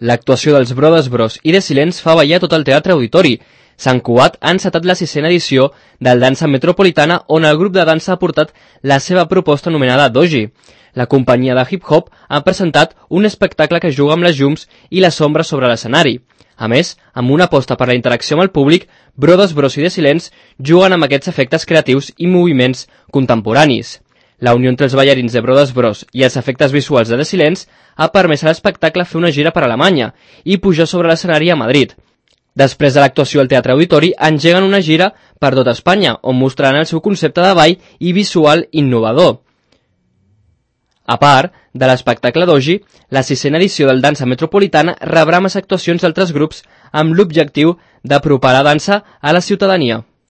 L'actuació dels Brothers Bros i The Silents fa ballar tot el Teatre Auditori. Sant Cugat ha encetat la 6ª edició del Dansa Metropolitana, on el grup de dansa ha portat la seva proposta anomenada Doji. La companyia de hip-hop ha presentat un espectacle que juga amb les llums i les ombres sobre l'escenari. A més, amb una aposta per la interacció amb el públic, Brothers Bros i The Silents juguen amb aquests efectes creatius i moviments contemporanis. La unió entre els ballarins de Brothers Bros i els efectes visuals de The Silents ha permès a l'espectacle fer una gira per Alemanya i pujar sobre l'escenari a Madrid. Després de l'actuació al Teatre Auditori, engeguen una gira per tota Espanya, on mostraran el seu concepte de ball i visual innovador. A part de l'espectacle Doji, la 6ª edició del Dansa Metropolitana rebrà més actuacions d'altres grups amb l'objectiu d'apropar la dansa a la ciutadania.